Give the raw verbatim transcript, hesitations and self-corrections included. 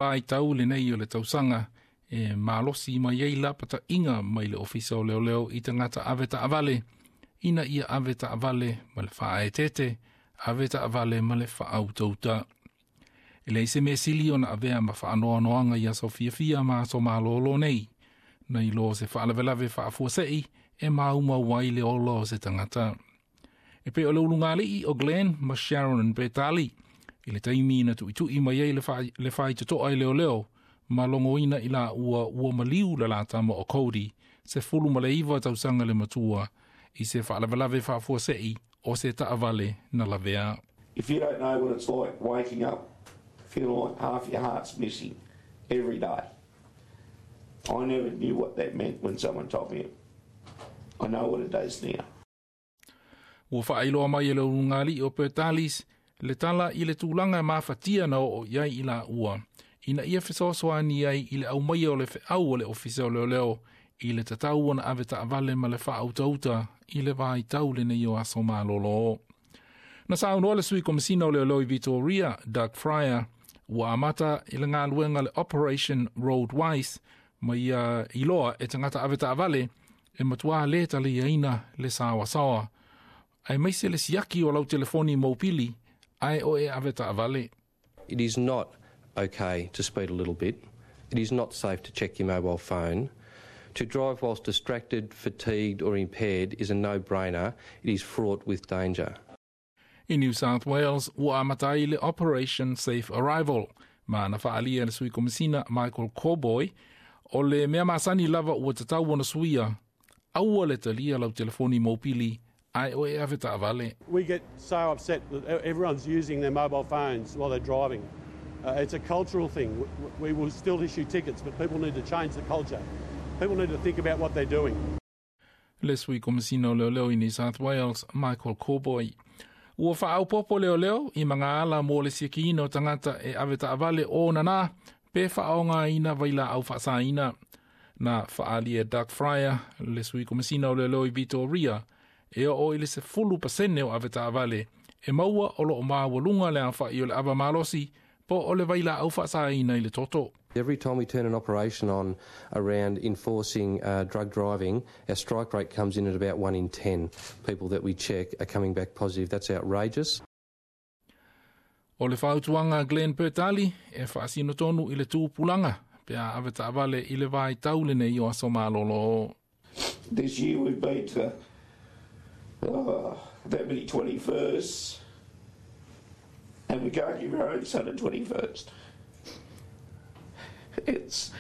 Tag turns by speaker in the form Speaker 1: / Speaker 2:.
Speaker 1: Vaitau lenei o le tausaga e malosi mai ai lapataiga mai le Ofisa o Leoleo i tagata ave taavale ina ia ave taavale ma le faaeteete, ave taavale ma le faautauta. E leai se mea sili ona avea ma faanoanoaga i aso fiafia ma aso malolo nei, nai lo se faalavelave faafuasei e maumau ai le ola o se tagata. E pei o le ulugalii o Glenn ma Sharon Petali, i le taimi na tuitui mai ai le faitotoa i leoleo, ma logoina i la ua ua maliu le la tama o Cody, sefulu ma le iva tausaga le matua, i se faalavelave faafuasei o se taavale na lavea.
Speaker 2: If you don't know what it's like waking up feeling like half your heart's missing every day, I never knew what that meant when someone told me it. I know what it does now.
Speaker 1: Ua faailoa mai e le ulugalii o Pertalis le tala i le tulaga e mafatia na oo i ai i la ua, ina ia fesoasoani ai i le aumaia o le feau o le Ofisa o Leoleo i le tatau ona ave taavale ma le faautauta i le vaitau lenei o aso malolo. Na saunoa le sui komisina o Leoleo i Victoria, Doug Fryer, ua amata i le galuega le Operation Roadwise ma ia iloa e tagata ave taavale e matuā le taliaina le saoasaoa. Aemaise le siaki o lau telefoni mobili ae o e ave taavale.
Speaker 3: It is not okay to speed a little bit. It is not safe to check your mobile phone. To drive whilst distracted, fatigued or impaired is a no-brainer. It is fraught with danger.
Speaker 1: I New South Wales, ua amata ai le Operation Safe Arrival, ma na faaalia le sui komisina Michael Corboy, o le mea masani lava ua tatau ona suia, aua le talia lau telefoni mobili ae o e ave taavale.
Speaker 4: We get so upset that everyone's using their mobile phones while they're driving. Uh, it's a cultural thing. We will still issue tickets, but people need to change the culture. People need to think about what they're doing.
Speaker 1: Le sui komisina o Leoleo i New South Wales, Michael Corboy. Ua faaopoopo leoleo i magaala mo le siakiina o tagata e ave taavale o nana pe faaaogaina vailaau faasaina. Na faaalia Doug Fryer, le sui komisina o Leoleo i Victoria, e oo i le sefulu pasene o ave taavale e maua o loo maualuga le aofai o le ava malosi po o le vailaau faasaina i le toto.
Speaker 3: Every time we turn an operation on around enforcing uh, drug driving, our strike rate comes in at about one in ten people that we check are coming back positive. That's outrageous.
Speaker 1: O le fautuaga Glenn Pertali e faasino tonu i le tupulaga pe a ave taavale i le vaitau lenei o aso malolo.
Speaker 2: This year we've been to uh, that many twenty-firsts, and we can't give our own son a twenty-first. It's